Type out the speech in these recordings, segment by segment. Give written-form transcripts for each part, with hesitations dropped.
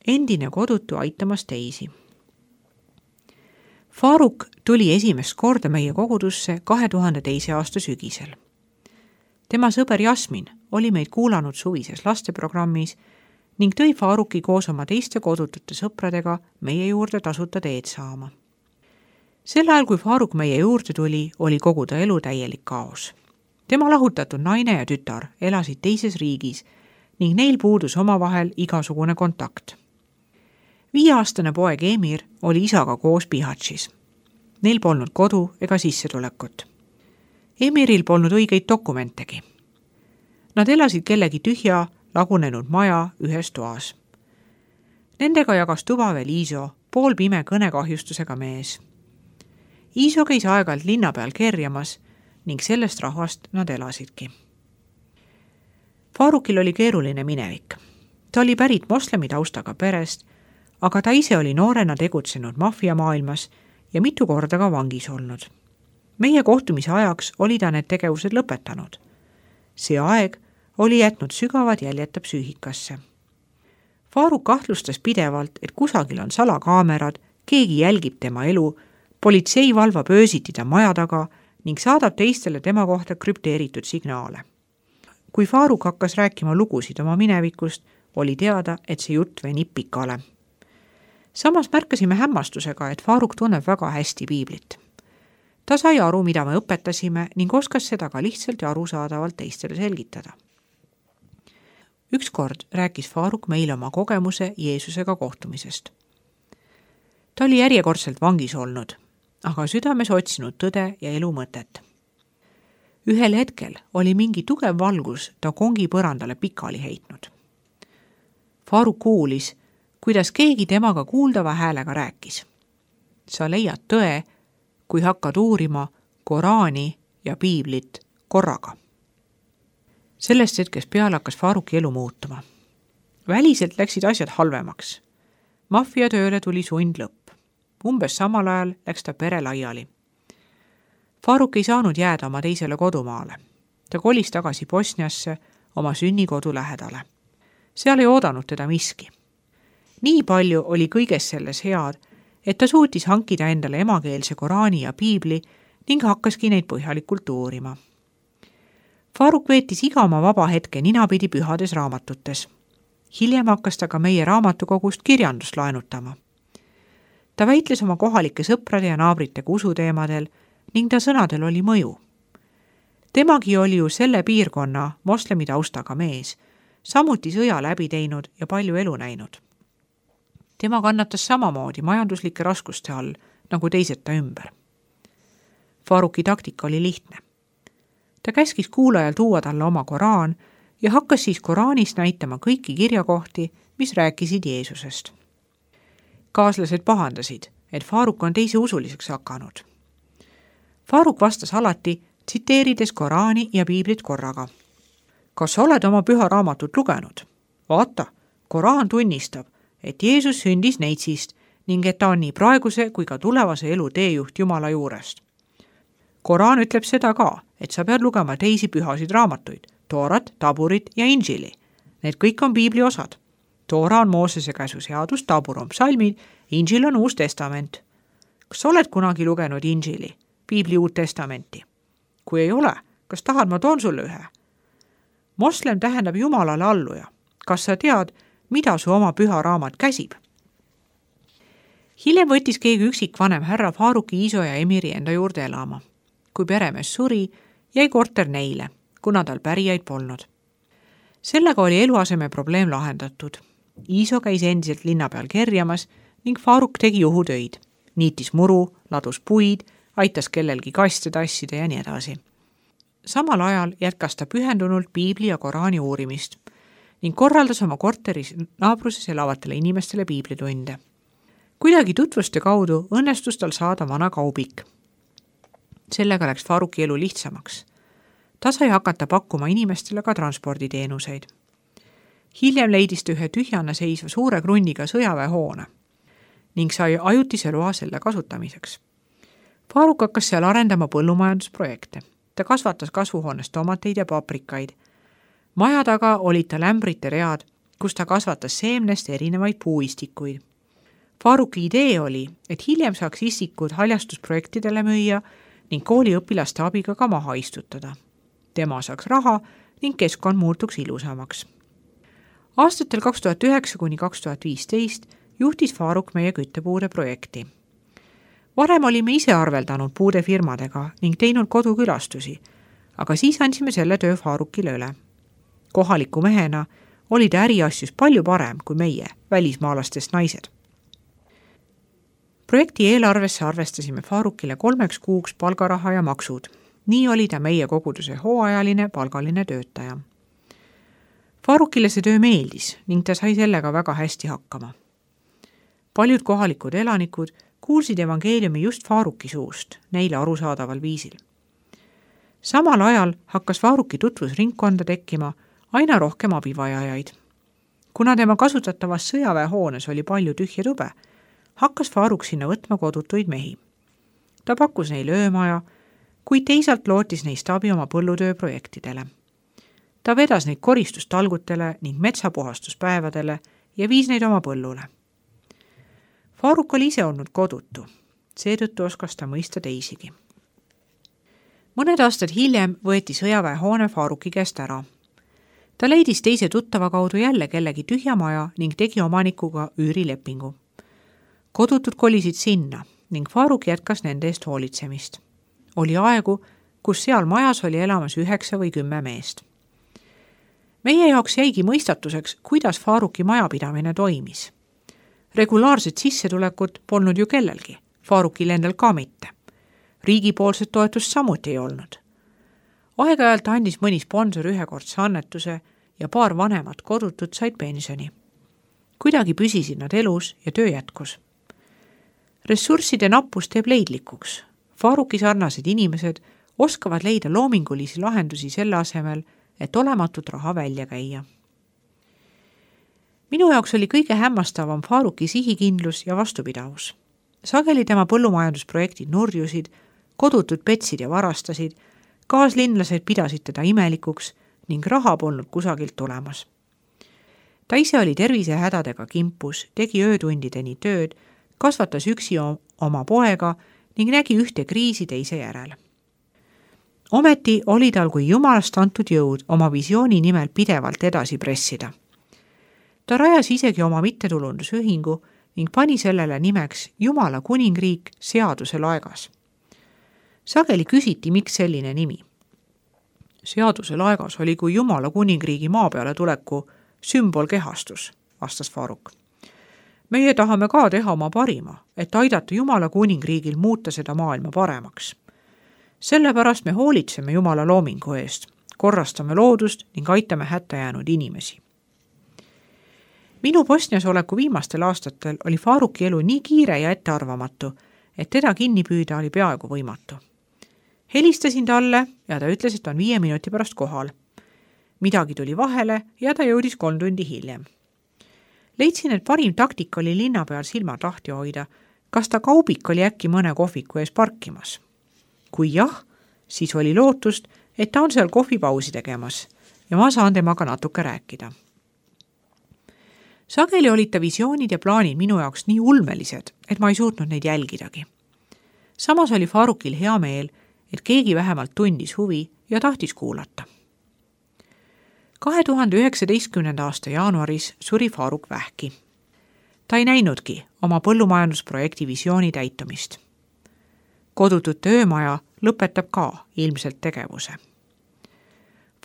endine kodutu aitamas teisi. Faruk tuli esimest korda meie kogudusse 2002. aasta sügisel. Tema sõber Jasmin oli meid kuulanud suvises lasteprogrammis ning tõi Faruki koos oma teiste kodutute sõpradega meie juurde tasuta teed saama. Sel ajal, kui Faruk meie juurde tuli, oli kogu ta elu täielik kaos. Tema lahutatud naine ja tütar elasid teises riigis ning neil puudus omavahel igasugune kontakt. 5-aastane poeg Emir oli isaga koos Bihatšis. Neil polnud kodu ega sissetulekut. Emiril polnud õigeid dokumentegi. Nad elasid kellegi tühja, lagunenud maja ühes toas. Nendega jagas tuba veel Iiso, poolpime kõnekahjustusega mees. Iiso käis aeg-ajalt linna peal kerjamas ning sellest rahvast nad elasidki. Farukil oli keeruline minevik. Ta oli pärit moslemi taustaga perest, aga ta ise oli noorena tegutsenud maffiamaailmas ja mitu korda ka vangis olnud. Meie kohtumise ajaks oli ta need tegevused lõpetanud. See aeg oli jätnud sügavad jäljed ta psüühikasse. Faruk kahtlustas pidevalt, et kusagil on salakaamerad, keegi jälgib tema elu, politsei valvab öösiti ta maja taga ning saadab teistele tema kohta krüpteeritud signaale. Kui Faruk hakkas rääkima lugusid oma minevikust, oli teada, et see jutt venib pikale. Samas märkasime hämmastusega, et Faruk tunneb väga hästi piiblit. Ta sai aru, mida me õpetasime ning oskas seda ka lihtsalt ja arusaadavalt teistele selgitada. Ükskord rääkis Faruk meile oma kogemuse Jeesusega kohtumisest. Ta oli järjekordselt vangis olnud, aga südames otsinud tõde ja elu mõtet. Ühel hetkel oli mingi tugev valgus ta kongi põrandale pikali heitnud. Faruk kuulis, kuidas keegi temaga kuuldava häälega rääkis. Sa leiad tõe, kui hakkad uurima Koraani ja piiblit korraga. Sellest hetkest peale hakkas Faruki elu muutuma. Väliselt läksid asjad halvemaks. Maffiatööle tuli sund lõpp. Umbes samal ajal läks ta pere laiali. Faruk ei saanud jääda oma teisele kodumaale. Ta kolis tagasi Bosniasse oma sünnikodu lähedale. Seal ei oodanud teda miski. Nii palju oli kõiges selles head, et ta suutis hankida endale emakeelse Koraani ja piibli ning hakkaski neid põhjalikult uurima. Faruk veetis iga oma vaba hetke ninapidi pühades raamatutes. Hiljem hakkas ta ka meie raamatukogust kirjandust laenutama. Ta väitles oma kohalike sõprade ja naabritega usuteemadel ning ta sõnadel oli mõju. Temagi oli ju selle piirkonna moslemi taustaga mees, samuti sõja läbi teinud ja palju elu näinud. Tema kannatas samamoodi majanduslike raskuste all, nagu teised ta ümber. Faruki taktika oli lihtne. Ta käskis kuulajal tuua talle oma Koraan ja hakkas siis Koraanist näitama kõiki kirjakohti, mis rääkisid Jeesusest. Kaaslased pahandasid, et Faruk on teise usuliseks hakanud. Faruk vastas alati, tsiteerides Koraani ja piiblit korraga. Kas sa oled oma püha raamatut lugenud? Vaata, Koraan tunnistab, et Jeesus sündis neitsist ning et ta on nii praeguse kui ka tulevase elu teejuht Jumala juurest. Koraan ütleb seda ka, et sa pead lugema teisi pühasid raamatuid, Toorat, Taburit ja Inžili. Need kõik on piibli osad. Toora on Moosese käsu seadus, Tabur on psalmid, Inžil on Uus Testament. Kas sa oled kunagi lugenud Inžili, piibli Uut Testamenti? Kui ei ole, kas tahad, ma toon sulle ühe? Moslem tähendab Jumalale alluja. Kas sa tead, mida su oma püha raamat käsib? Hiljem võttis keegi üksikvanem härra Faruki, Iiso ja Emiri enda juurde elama. Kui peremees suri, jäi korter neile, kuna tal pärijaid polnud. Sellega oli eluaseme probleem lahendatud. Iiso käis endiselt linna peal kerjamas ning Faruk tegi juhutöid. Niitis muru, ladus puid, aitas kellelgi kaste tassida ja nii edasi. Samal ajal jätkas ta pühendunult piibli ja Koraani uurimist ning korraldas oma korteris naabruses elavatele inimestele piiblitunde. Kuidagi tutvuste kaudu õnnestus tal saada vana kaubik. Sellega läks Faruki elu lihtsamaks. Ta sai hakata pakkuma inimestele ka transporditeenuseid. Hiljem leidis ta ühe tühjana seisva suure krunniga sõjaväehoone ning sai ajutise loa selle kasutamiseks. Faruk hakkas seal arendama põllumajandusprojekte. Ta kasvatas kasvuhoones tomateid ja paprikaid. Maja taga olid tal ämbrite read, kus ta kasvatas seemnest erinevaid puuistikuid. Faruki idee oli, et hiljem saaks istikud haljastusprojektidele müüa ning kooliõpilaste abiga ka maha istutada. Tema saaks raha ning keskkond muutuks ilusamaks. Aastatel 2009–2015 juhtis Faruk meie küttepuude projekti. Varem olime ise arveldanud puudefirmadega ning teinud kodukülastusi, aga siis andsime selle töö Farukile üle. Kohaliku mehena oli ta äriasjus palju parem kui meie, välismaalastest naised. Projekti eelarvesse arvestasime Farukile 3 kuuks palgaraha ja maksud. Nii oli ta meie koguduse hooajaline palgaline töötaja. Farukile see töö meeldis ning ta sai sellega väga hästi hakkama. Paljud kohalikud elanikud kuulsid evangeeliumi just Faruki suust, neile arusaadaval viisil. Samal ajal hakkas Faruki tutvusringkonda tekkima aina rohkem abivajajaid. Kuna tema kasutatavas sõjaväehoones oli palju tühja tube, hakkas Faruk sinna võtma kodutuid mehi. Ta pakkus neile öömaja, kuid teisalt lootis neist abi oma põllutööprojektidele. Ta vedas neid koristustalgutele ning metsapuhastuspäevadele ja viis neid oma põllule. Faruk oli ise olnud kodutu, seetõttu oskas ta mõista teisigi. Mõned aastad hiljem võeti sõjaväehoone Faruki käest ära. Ta leidis teise tuttava kaudu jälle kellegi tühja maja ning tegi omanikuga üürilepingu. Kodutud kolisid sinna ning Faruk jätkas nende eest hoolitsemist. Oli aegu, kus seal majas oli elamas 9 või 10 meest. Meie jaoks jäigi mõistatuseks, kuidas Faruki majapidamine toimis. Regulaarset sissetulekut polnud ju kellelgi, Farukil endal ka mitte. Riigipoolset toetust samuti ei olnud. Aeg-ajalt andis mõni sponsor ühekordse annetuse ja paar vanemat kodutut said pensioni. Kuidagi püsisid nad elus ja töö jätkus. Ressursside nappus teeb leidlikuks. Faruki sarnased inimesed oskavad leida loomingulisi lahendusi selle asemel, et olematut raha välja käia. Minu jaoks oli kõige hämmastavam Faruki sihikindlus ja vastupidavus. Sageli tema põllumajandusprojektid nurjusid, kodutud petsid ja varastasid, kaaslinlased pidasid teda imelikuks ning raha polnud kusagilt tulemas. Ta ise oli tervisehädadega kimpus, tegi öötundideni tööd, kasvatas üksi oma poega ning nägi ühte kriisi teise järel. Ometi oli tal kui jumalast antud jõud oma visiooni nimel pidevalt edasi pressida. Ta rajas isegi oma mittetulundusühingu ning pani sellele nimeks Jumala kuningriik seaduse laegas. Sageli küsiti, miks selline nimi. Seaduse laegas oli kui Jumala kuningriigi maa peale tuleku sümbolkehastus, vastas Faruk. Meie tahame ka teha oma parima, et aidata Jumala kuningriigil muuta seda maailma paremaks. Sellepärast me hoolitseme Jumala loomingu eest, korrastame loodust ning aitame hätta jäänud inimesi. Minu Bosnias oleku viimastel aastatel oli Faruki elu nii kiire ja ettearvamatu, et teda kinni püüda oli peaaegu võimatu. Helistasin talle ja ta ütles, et on 5 minuti pärast kohal. Midagi tuli vahele ja ta jõudis 3 tundi hiljem. Leidsin, et parim taktika oli linna peal silmad lahti hoida, kas ta kaubik oli äkki mõne kohviku ees parkimas. Kui jah, siis oli lootust, et ta on seal kohvipausi tegemas ja ma saan temaga natuke rääkida. Sageli olid ta visioonid ja plaanid minu jaoks nii ulmelised, et ma ei suutnud neid jälgidagi. Samas oli Farukil hea meel, et keegi vähemalt tundis huvi ja tahtis kuulata. 2019. aasta jaanuaris suri Faruk vähki. Ta ei näinudki oma põllumajandusprojekti visiooni täitumist. Kodutute öömaja lõpetab ka ilmselt tegevuse.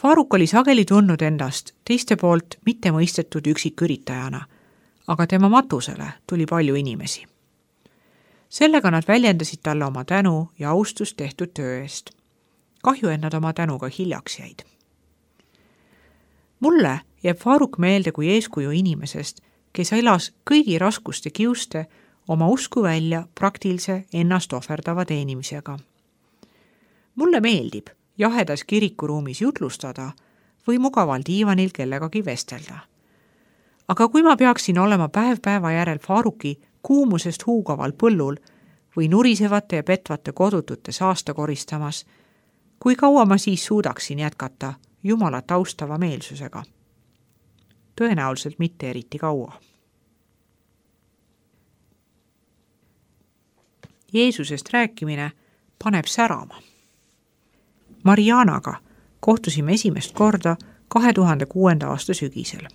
Faruk oli sageli tundnud endast teiste poolt mitte mõistetud üksiküritajana, aga tema matusele tuli palju inimesi. Sellega nad väljendasid talle oma tänu ja austust tehtud töö eest. Kahju, et nad oma tänuga hiljaks jäid. Mulle jääb Faruk meelde kui eeskuju inimesest, kes elas kõigi raskuste kiuste oma usku välja praktilise ennast ohverdava teenimisega. Mulle meeldib jahedas kirikuruumis jutlustada või mugaval diivanil kellegagi vestelda. Aga kui ma peaksin olema päev päeva järel Faruki kuumusest huugaval põllul või nurisevate ja petvate kodutute saasta koristamas, kui kaua ma siis suudaksin jätkata Jumalat austava meelsusega? tõenäoliselt mitte eriti kaua. Jeesusest rääkimine paneb särama. Marianaga kohtusime esimest korda 2006. aasta sügisel.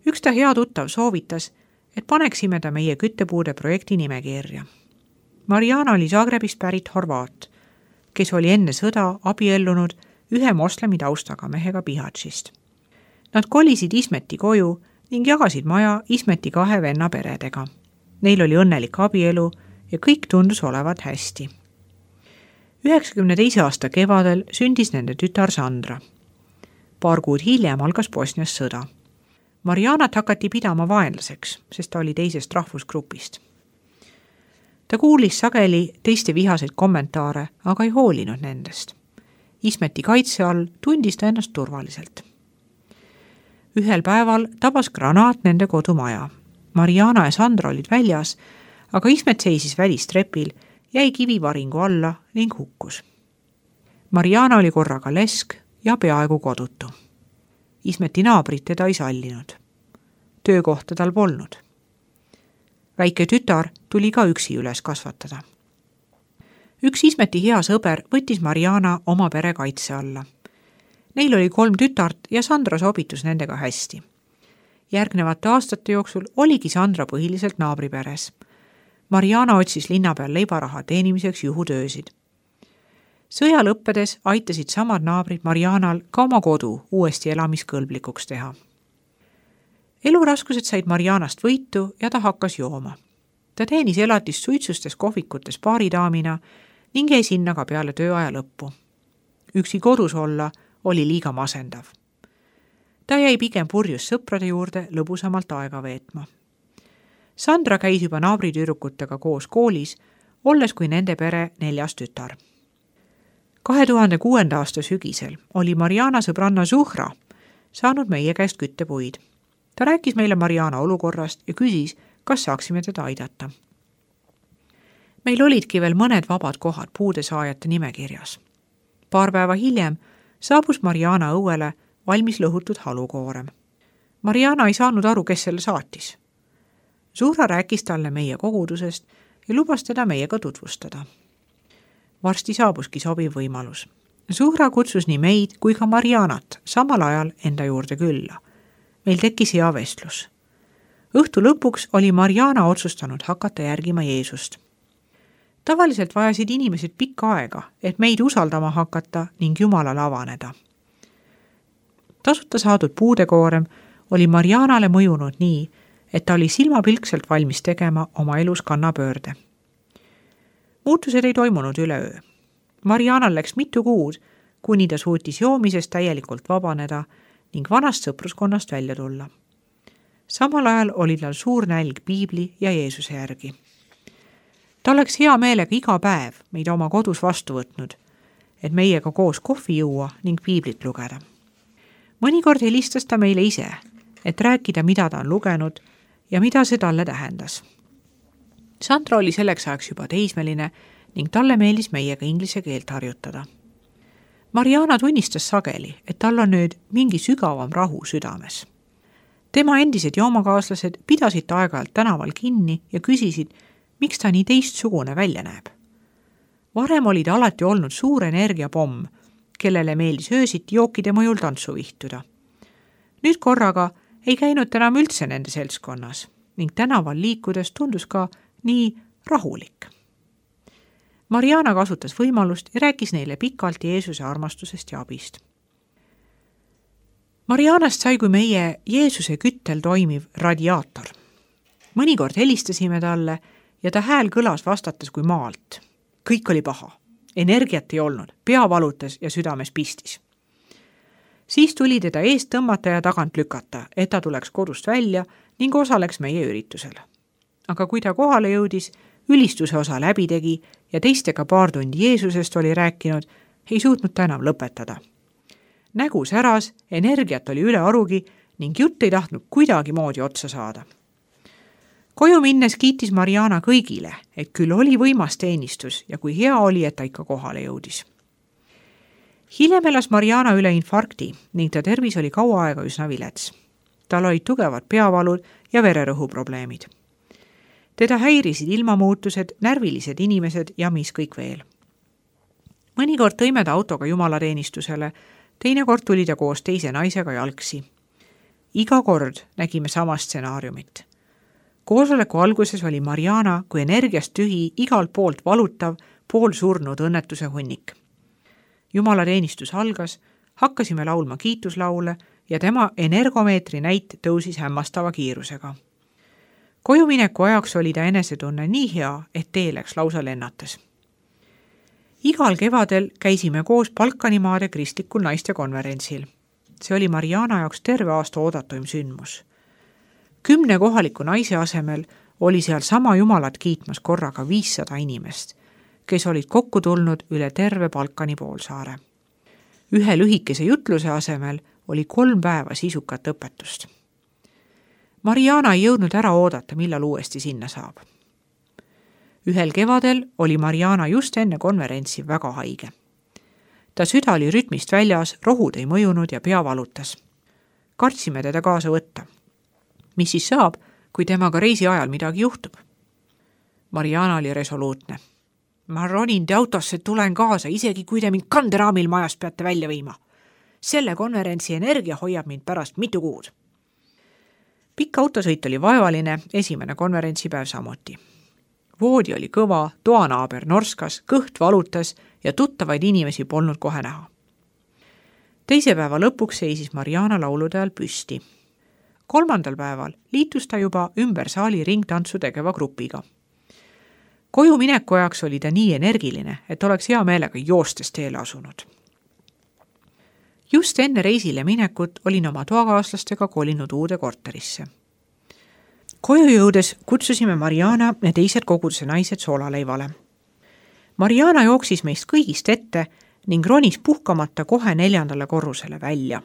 Üks ta hea tuttav soovitas, et paneksime ta meie küttepuude projekti nimekirja. Mariana oli Zagrebist pärit horvaat, kes oli enne sõda abiellunud ühe moslemi taustaga mehega Bihaćist. Nad kolisid Ismeti koju ning jagasid maja Ismeti 2 venna peredega. Neil oli õnnelik abielu ja kõik tundus olevat hästi. 92. aasta kevadel sündis nende tütar Sandra. Paar kuud hiljem algas Bosnias sõda. Marianat hakati pidama vaenlaseks, sest ta oli teisest rahvusgrupist. Ta kuulis sageli teiste vihaseid kommentaare, aga ei hoolinud nendest. Ismeti kaitse all tundis ta ennast turvaliselt. Ühel päeval tabas granaat nende kodumaja. Mariana ja Sandra olid väljas, aga Ismet seisis välistrepil, jäi kivivaringu alla ning hukkus. Mariana oli korraga lesk ja peaaegu kodutu. Ismeti naabrid teda ei sallinud. Töökohta tal polnud. Väike tütar tuli ka üksi üles kasvatada. Üks Ismeti hea sõber võttis Mariana oma pere kaitse alla. Neil oli 3 tütart ja Sandra sobitus nendega hästi. Järgnevate aastate jooksul oligi Sandra põhiliselt naabriperes. Mariana otsis linna peal leibaraha teenimiseks juhutöösid. Sõja lõppedes aitasid samad naabrid Marianal ka oma kodu uuesti elamiskõlblikuks teha. Eluraskused said Marianast võitu ja ta hakkas jooma. Ta teenis elatist suitsustes kohvikutes baaridaamina ning jäi sinna ka peale tööaja lõppu. Üksi kodus olla oli liiga masendav. Ta jäi pigem purjus sõprade juurde lõbusamalt aega veetma. Sandra käis juba naabritüdrukutega koos koolis, olles kui nende pere 4. tütar. 2006. aasta sügisel oli Mariana sõbranna Zuhra saanud meie käest küttepuid. Ta rääkis meile Mariana olukorrast ja küsis, kas saaksime teda aidata. Meil olidki veel mõned vabad kohad puudesaajate nimekirjas. Paar päeva hiljem saabus Mariana õuele valmis lõhutud halukoorem. Mariana ei saanud aru, kes selle saatis. Zuhra rääkis talle meie kogudusest ja lubas teda meiega tutvustada. Varsti saabuski sobiv võimalus. Zuhra kutsus nii meid kui ka Marianat samal ajal enda juurde külla. Meil tekkis hea vestlus. Õhtu lõpuks oli Mariana otsustanud hakata järgima Jeesust. Tavaliselt vajasid inimesed pikka aega, et meid usaldama hakata ning Jumalale avaneda. Tasuta saadud puudekoorem oli Marianale mõjunud nii, et ta oli silmapilkselt valmis tegema oma elus kannapöörde. Muutused ei toimunud üleöö. Marianal läks mitu kuud, kuni ta suutis joomisest täielikult vabaneda ning vanast sõpruskonnast välja tulla. Samal ajal oli tal suur nälg Piibli ja Jeesuse järgi. Ta oleks hea meelega iga päev meid oma kodus vastu võtnud, et meiega koos kohvi juua ning Piiblit lugeda. Mõnikord helistas ta meile ise, et rääkida, mida ta on lugenud ja mida see talle tähendas. Sandra oli selleks ajaks juba teismeline ning talle meeldis meiega inglise keelt harjutada. Mariana tunnistas sageli, et tal on nüüd mingi sügavam rahu südames. Tema endised joomakaaslased pidasid ta aeg-ajalt tänaval kinni ja küsisid, miks ta nii teistsugune välja näeb. Varem oli ta alati olnud suur energiapomm, kellele meeldis öösiti jookide mõjul tantsu vihtuda. Nüüd korraga ei käinud ta enam üldse nende seltskonnas ning tänaval liikudes tundus ka nii rahulik. Mariana kasutas võimalust ja rääkis neile pikalt Jeesuse armastusest ja abist. Marianast sai kui meie Jeesuse küttel toimiv radiaator. Mõnikord helistasime talle ja ta hääl kõlas vastates kui maalt. Kõik oli paha. Energiat ei olnud, pea valutas ja südames pistis. Siis tuli teda eest tõmmata ja tagant lükata, et ta tuleks kodust välja ning osaleks meie üritusel. Aga kui ta kohale jõudis, ülistuse osa läbi tegi ja teistega paar tundi Jeesusest oli rääkinud, ei suutnud ta enam lõpetada. Nägu säras, energiat oli üle arugi ning jutt ei tahtnud kuidagi moodi otsa saada. Koju minnes kiitis Mariana kõigile, et küll oli võimas teenistus ja kui hea oli, et ta ikka kohale jõudis. Hiljem elas Mariana üle infarkti ning ta tervis oli kaua aega üsna vilets. tal olid tugevad peavalud ja vererõhuprobleemid. Teda häirisid ilmamuutused, närvilised inimesed ja mis kõik veel. Mõnikord tõime ta autoga jumalateenistusele, teinekord tuli ta koos teise naisega jalgsi. Iga kord nägime sama stsenaariumit. Koosoleku alguses oli Mariana kui energiast tühi, igalt poolt valutav, poolsurnud õnnetuse hunnik. Jumalateenistus algas, hakkasime laulma kiituslaule ja tema energomeetri näit tõusis hämmastava kiirusega. Kojumineku ajaks oli ta enesetunne nii hea, et tee läks lausa lennates. Igal kevadel käisime koos Balkanimaade kristlikul naistekonverentsil. See oli Mariana jaoks terve aasta oodatuim sündmus. 10 kohaliku naise asemel oli seal sama Jumalat kiitmas korraga 500 inimest, kes olid kokku tulnud üle terve Balkani poolsaare. Ühe lühikese jutluse asemel oli 3 päeva sisukat õpetust. Mariana ei jõudnud ära oodata, millal uuesti sinna saab. Ühel kevadel oli Mariana just enne konverentsi väga haige. Ta süda oli rütmist väljas, rohud ei mõjunud ja pea valutas. Kartsime teda kaasa võtta. Mis siis saab, kui temaga reisi ajal midagi juhtub? Mariana oli resoluutne. Ma ronin te autosse, tulen kaasa, isegi kui te mind kanderaamil majast peate välja viima. Selle konverentsi energia hoiab mind pärast mitu kuud. Pikk autosõit oli vaevaline, esimene konverentsipäev samuti. Voodi oli kõva, toanaaber norskas, kõht valutas ja tuttavaid inimesi polnud kohe näha. Teise päeva lõpuks seisis Mariana laulude ajal püsti. 3. päeval liitus ta juba ümber saali ringtantsu tegeva grupiga. Koju mineku ajaks oli ta nii energiline, et oleks hea meelega joostes teele asunud. Just enne reisile minekut olin oma toakaaslastega kolinud uude korterisse. Koju jõudes kutsusime Mariana ja teised koguduse naised soolaleivale. Mariana jooksis meist kõigist ette ning ronis puhkamata kohe 4. korrusele välja.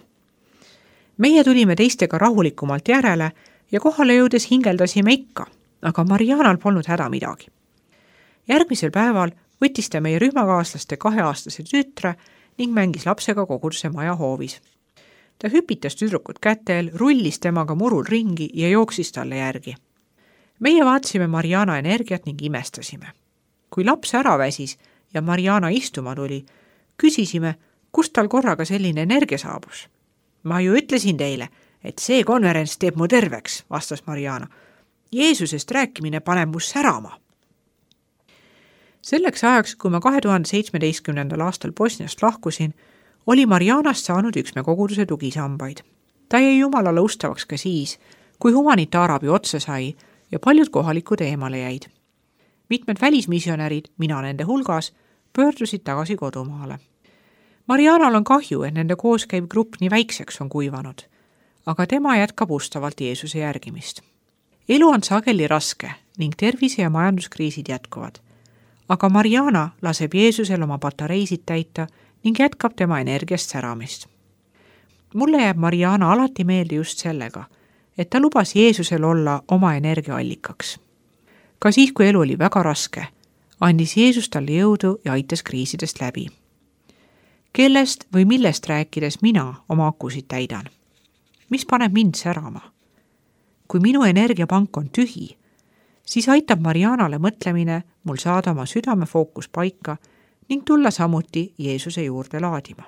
Meie tulime teistega rahulikumalt järele ja kohale jõudes hingeldasime ikka, aga Marianal polnud häda midagi. Järgmisel päeval võttis ta meie rühmakaaslaste 2-aastase tütre ning mängis lapsega koguduse maja hoovis. Ta hüpitas tüdrukut kätel, rullis temaga murul ringi ja jooksis talle järgi. Meie vaatasime Mariana energiat ning imestasime. Kui laps ära väsis ja Mariana istuma tuli, küsisime, kust tal korraga selline energia saabus. Ma ju ütlesin teile, et see konverents teeb mu terveks, vastas Mariana. Jeesusest rääkimine paneb mu särama. Selleks ajaks, kui ma 2017. aastal Bosniast lahkusin, oli Marianast saanud üks me koguduse tugisambaid. Ta jäi Jumalale ustavaks ka siis, kui humanitaarabi otsa sai ja paljud kohalikud eemale jäid. Mitmed välismisionärid, mina nende hulgas, pöördusid tagasi kodumaale. Marianal on kahju, et nende kooskäiv grupp nii väikseks on kuivanud, aga tema jätkab ustavalt Jeesuse järgimist. Elu on sageli raske ning tervise- ja majanduskriisid jätkuvad, aga Mariana laseb Jeesusel oma patareisid täita ning jätkab tema energiast säramist. Mulle jääb Mariana alati meelde just sellega, et ta lubas Jeesusel olla oma energiaallikaks. Ka siis, kui elu oli väga raske, andis Jeesus talle jõudu ja aitas kriisidest läbi. Kellest või millest rääkides mina oma akusid täidan? Mis paneb mind särama? Kui minu energiapank on tühi, siis aitab Marianale mõtlemine mul saada oma südame fookus paika ning tulla samuti Jeesuse juurde laadima.